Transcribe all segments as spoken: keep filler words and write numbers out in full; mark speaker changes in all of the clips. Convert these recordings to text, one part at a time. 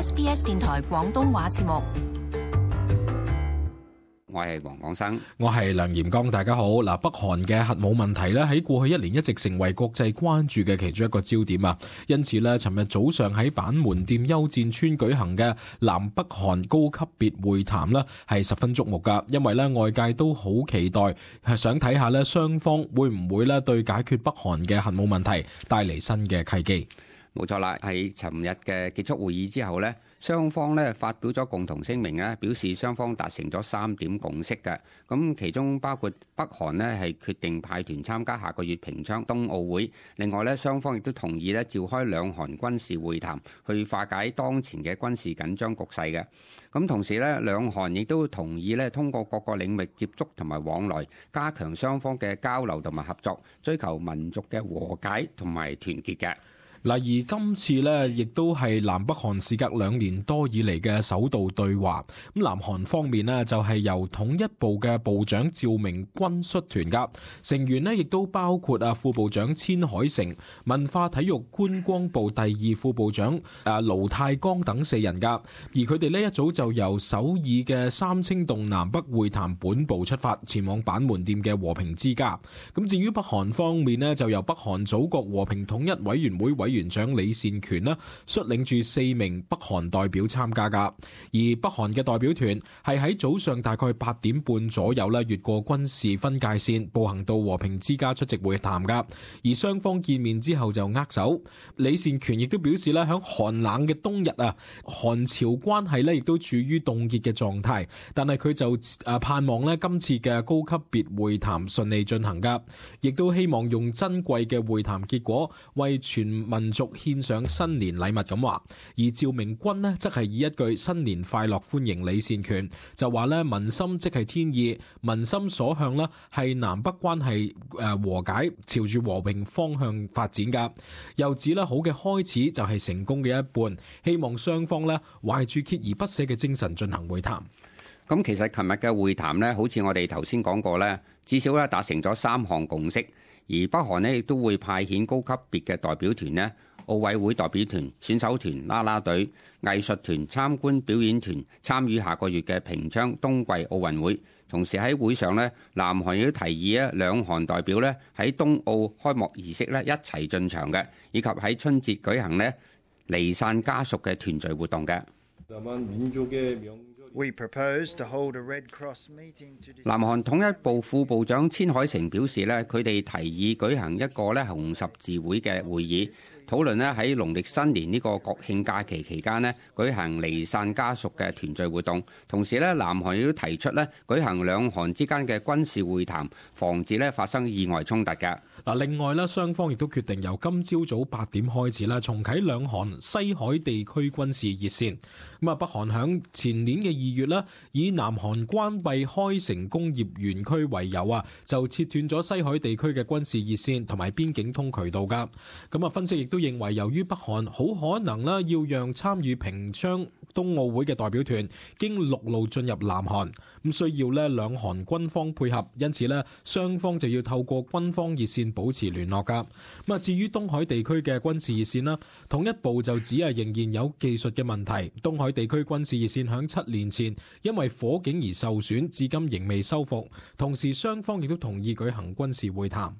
Speaker 1: S B S 電台廣東話節目。
Speaker 2: 我係黃廣生，
Speaker 3: 我係梁炎剛，大家好。嗱，北韓嘅核武問題咧喺過去一年一直成為國際關注嘅其中一個焦點啊。因此咧，尋日早上喺板門店休戰村舉行嘅南北韓高級別會談咧，係十分矚目噶。因為咧外界都好期待，係想睇下咧雙方會唔會咧對解決北韓嘅核武問題帶嚟新嘅契機。
Speaker 2: 冇錯啦，喺尋日嘅結束會議之後呢，雙方咧發表咗共同聲明咧，表示雙方達成咗三點共識嘅。咁其中包括北韓呢係決定派團參加下個月平昌冬奧會，另外咧雙方亦都同意咧召開兩韓軍事會談，去化解當前嘅軍事緊張局勢嘅。咁同時咧，兩韓亦都同意咧通過各個領域接觸同埋往來，加強雙方嘅交流同埋合作，追求民族嘅和解同埋團結嘅。
Speaker 3: 嗱，而今次呢，亦都係南北韓事隔兩年多以嚟嘅首度對話。咁南韓方面呢，就係由統一部嘅部長趙明軍率團噶，成員呢亦都包括啊副部長千海成、文化體育觀光部第二副部長誒盧泰剛等四人噶。而佢哋呢一早就由首爾嘅三清洞南北會談本部出發，前往板門店嘅和平之家。咁至於北韓方面呢，就由北韓祖國和平統一委員會委員長李善權呢率領住四名北韓代表參加噶，而北韓嘅代表團係喺早上大概八點半左右呢越過軍事分界線，步行到和平之家出席會談噶。而雙方見面之後就握手。李善權亦都表示咧，響寒冷嘅冬日啊，韓朝關係呢亦都處於凍結嘅狀態，但係佢就誒盼望呢今次嘅高級別會談順利進行噶，亦都希望用珍貴嘅會談結果為全民族獻上新年禮物咁話。而趙明軍呢則係以一句新年快樂歡迎李善權，就話咧民心即係天意，民心所向呢係南北關係誒和解，朝住和平方向發展噶。又指咧好嘅開始就係成功嘅一半，希望雙方呢懷住鍥而不捨嘅精神進行會談。
Speaker 2: 咁其實琴日嘅會談呢，好似我哋頭先講過呢，至少咧達成咗三項共識，而北韓呢亦都會派遣高級別嘅代表團呢，奧委會代表團、選手團、啦啦隊、藝術團、參觀表演團參與下個月嘅平昌冬季奧運會。同時喺會上呢，南韓亦都提議咧，兩韓代表呢喺冬奧開幕儀式呢一齊進場嘅，以及喺春節舉行呢離散家屬嘅團聚活動嘅。南韓統一部副部長千海成表示呢，佢哋提議舉行一個咧紅十字會嘅會議，討論咧喺農曆新年呢個國慶假期期間咧舉行離散家屬嘅團聚活動。同時咧，南韓亦都提出咧舉行兩韓之間嘅軍事會談，防止咧發生意外衝突嘅。
Speaker 3: 嗱，另外咧，雙方亦都決定由今朝早八點開始啦，重啟兩韓西海地區軍事熱線。咁啊，北韓響前年嘅二月咧，以南韓關閉開城工業園區為由啊，就切斷咗西海地區嘅軍事熱線同埋邊境通渠道噶。咁啊，分析亦都認為，由於北韓好可能咧要讓參與平昌冬奧會嘅代表團經陸路進入南韓，咁需要咧兩韓軍方配合，因此咧雙方就要透過軍方熱線保持聯絡噶。咁啊，至於東海地區嘅軍事熱線啦，統一部就只係仍然有技術嘅問題。東海地區軍事熱線響七年前因為火警而受損，至今仍未修復。同時，雙方亦都同意舉行軍事會談。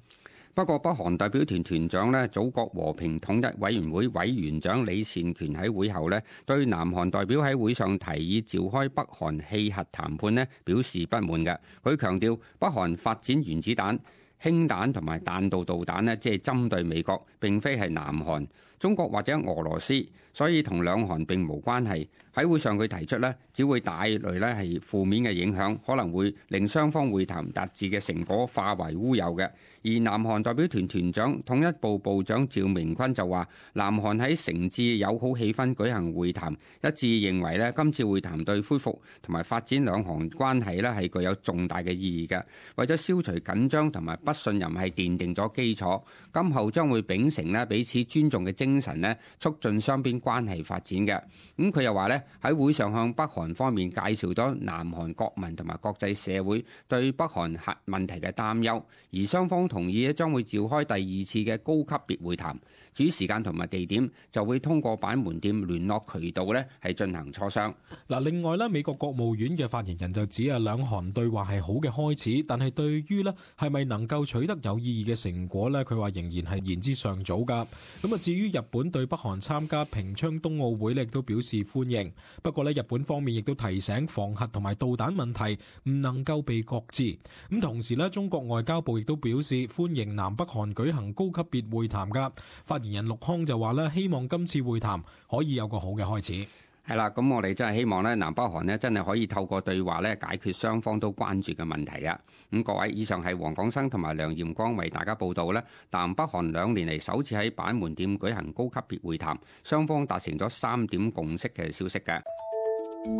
Speaker 2: 不過，北韓代表團團長呢，祖國和平統一委員會委員長李善權喺會後呢，對南韓代表喺會上提議召開北韓棄核談判呢表示不滿嘅。佢強調，北韓發展原子彈、氫彈同埋彈道導彈呢，即係針對美國，並非係南韓、中國或者俄羅斯，所以同兩韓並無關係。喺會上佢提出呢，只會帶來呢係負面嘅影響，可能會令雙方會談達至嘅成果化為烏有嘅。而南韓代表團團長統一部部長趙明坤就話，南韓喺誠摯友好氣氛舉行會談，一致認為呢今次會談對恢復同埋發展兩韓關係呢係具有重大嘅意義嘅，為咗消除緊張同埋不信任係奠定咗基礎，今後將會秉承呢彼此尊重嘅精神呢，促進雙邊關係發展嘅。咁佢又話呢喺會上向北韓方面介紹咗南韓國民同埋國際社會對北韓核問題嘅擔憂，而雙方同意將會召開第二次嘅高級別會談。至於時間同埋地點，就會通過板門店聯絡渠道咧係進行磋商。
Speaker 3: 嗱，另外咧，美國國務院嘅發言人就指啊，兩韓對話係好嘅開始，但係對於咧係咪能夠取得有意義嘅成果咧，佢話仍然係言之尚早噶。咁啊，至於日本對北韓參加平昌冬奧會咧，亦都表示歡迎。不過咧，日本方面亦都提醒防核同埋導彈問題唔能夠被擱置。咁同時咧，中國外交部亦都表示歡迎南北韓舉行高級別會談噶。發言人陸康就話咧，希望今次會談可以有個好嘅開始。
Speaker 2: 係啦，咁我哋真係希望咧，南北韓咧真係可以透過對話咧解決雙方都關注嘅問題啊！咁各位，以上係黃廣生同埋梁艷光為大家報道咧，南北韓兩年嚟首次喺板門店舉行高級別會談，雙方達成咗三點共識嘅消息嘅。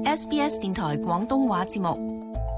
Speaker 1: S B S 電台廣東話節目。